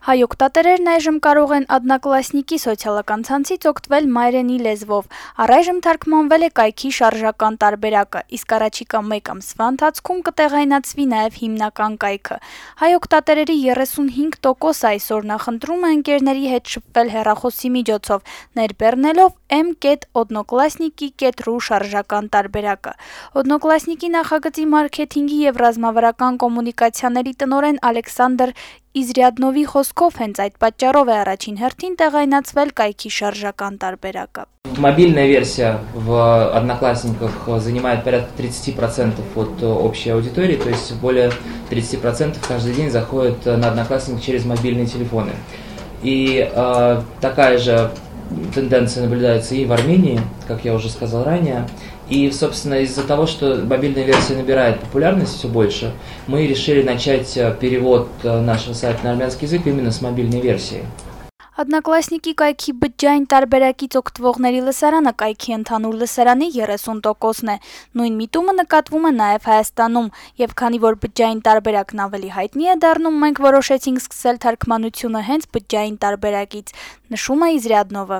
Հայ օգտատերերն այժմ կարող են Одноклассники սոցիալական ցանցից օգտվել մայրենի լեզվով։ Առայժմ թարգմանվել է կայքի շարժական տարբերակը, իսկ առաջիկա 1 ամսվա ընթացքում կտեղայնացվի նաև հիմնական կայքը։ Հայ օգտատերերի 35%-ը այսօր նախընտրում է ընկերների հետ շփվել հեռախոսի միջոցով, ներբեռնելով m.Odnoklassniki.ru շարժական տարբերակը։ Odnoklassniki նախագծի մարքեթինգի եւ ռազմավարական կոմունիկացիաների տնօրեն Ալեքսանդր Իզրյադնովի խոսքով հենց այդ պատճառով է առաջին հերթին տեղայնացվել կայքի շարժական տարբերակը։ Мобильная версия в Одноклассниках занимает порядка 30% от общей аудитории, то есть более 30% каждый день заходят на Одноклассники через мобильные телефоны. И такая же тенденция наблюдается и в Армении, как я уже сказал ранее. И, собственно, из-за того, что мобильная версия набирает популярность все больше, мы решили начать перевод нашего сайта на армянский язык именно с мобильной версии. Одноклассники կայքի բջջային տարբերակից օգտվողների լսարանը կայքի ընդհանուր լսարանի 30%-ն է։ Նույն միտումը նկատվում է նաև Հայաստանում, եւ քանի որ բջջային տարբերակն ավելի հայտնի է դառնում, մենք որոշեցինք սկսել թարգմանությունը հենց բջջային տարբերակից, նշում է Իզրյադնովը։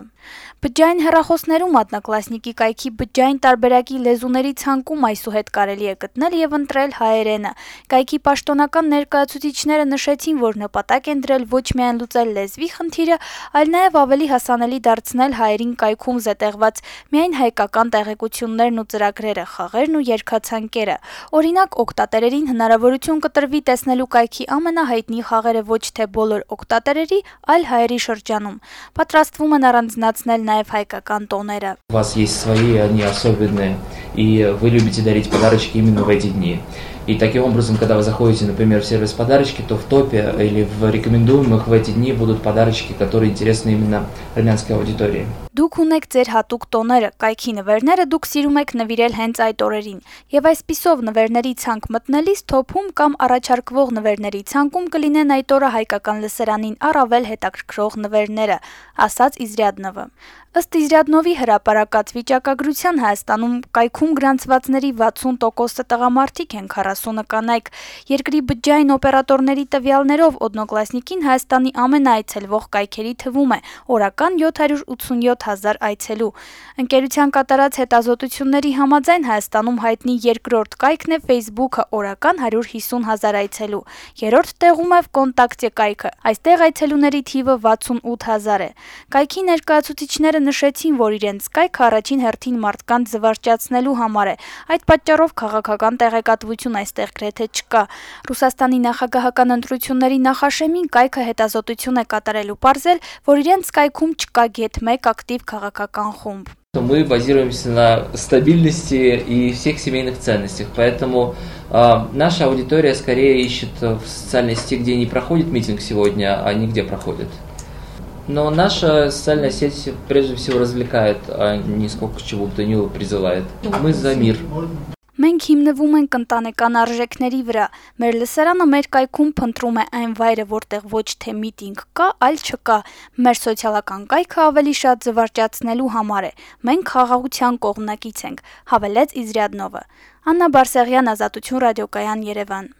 Բջջային հեռախոսներում Одноклассники կայքի բջջային տարբերակի լեզուների ցանկում այսուհետ կարելի է գտնել եւ ընտրել հայերենը։ Կայքի պաշտոնական ներկայացուցիչները նշեցին, որ նպատակ են դրել ոչ միայն լուծել լեզվի խնդիրը, այլ նաև ավելի հասանելի դարձնել հայերին կայքում զետեղված միայն հայկական տեղեկություններն ու ծրագրերը, խաղերն ու երգացանկերը։ Օրինակ, օգտատերերին հնարավորություն կտրվի տեսնելու կայքի ամենահայտնի խաղերը ոչ թե բոլոր օգտատերերի, այլ հայերի շրջանում։ Պատրաստվում են առանձնացնել նաև հայկական տոները։ У вас есть свои, они особенные, и вы любите дарить подарочки именно в эти дни. И таким образом, когда вы заходите, например, в сервис подарочки, то в топе или в рекомендуемых в эти дни будут подарочки, которые интересны именно армянской аудитории. Դուք ունեք ձեր հատուկ տոները, կայքի նվերները դուք սիրում եք նվիրել հենց այդ օրերին, եւ այսպիսով նվերների ցանկ մտնելիս թոփում կամ առաջարկվող նվերների ցանկում կլինեն այդ օրը հայկական լսարանին առավել հետաքրքրող նվերները, ասաց Իզրյադնովը։ Ըստ Իզրյադնովի հրապարակած վիճակագրության Հայաստանում կայքում գրանցվածների 60%-ը տղամարդիկ են, 40-ը կանայք։ Երկրի բջջային օպերատորների տվյալներով Одноклассники-ն Հայաստանի ամենաայցելվող կայքերի թվում է, օրական 787,000 այցելու։ Ընկերության կատարած հետազոտությունների համաձայն Հայաստանում հայտնի երկրորդ կայքն է Facebook-ը, օրական 150,000 այցելու։ Երրորդ տեղում է Vkontakte կայքը։ Այստեղ այցելուների թիվը 68,000 է։ Կայքի ներկայացուցիչները նշեցին, որ իրենց կայքը առաջին հերթին մարդկանց զվարճացնելու համար է։ Այդ պատճառով քաղաքական տեղեկատվություն այստեղ գրեթե չկա։ Ռուսաստանի նախագահական ընտրությունների նախաշեմին կայքը հետազոտություն է կատարելու պարզել, որ իրենց կայքում չկա գեթ 1 ակտիվ քաղաքական խումբ։ Мы базируемся на стабильности и всех семейных ценностях, поэтому наша аудитория скорее ищет в социальной сети, где не проходит митинг сегодня, а не где проходит. Но наша социальная сеть прежде всего развлекает, а не сколько к чему бы то ни было призывает. Мы за мир. Մենք հիմնվում ենք ընտանեկան արժեքների վրա։ Մեր լսարանը մեր կայքում փնտրում է այն վայրը, որտեղ ոչ թե միտինգ կա, այլ չկա։ Մեր սոցիալական կայքը ավելի շատ զվարճացնելու համար է։ Մենք խաղաղության կողմնակից ենք, հավելեց Իզրյադնովը։ Աննա Բարսեղյան, Ազատություն ռադիոկայան, Երևան։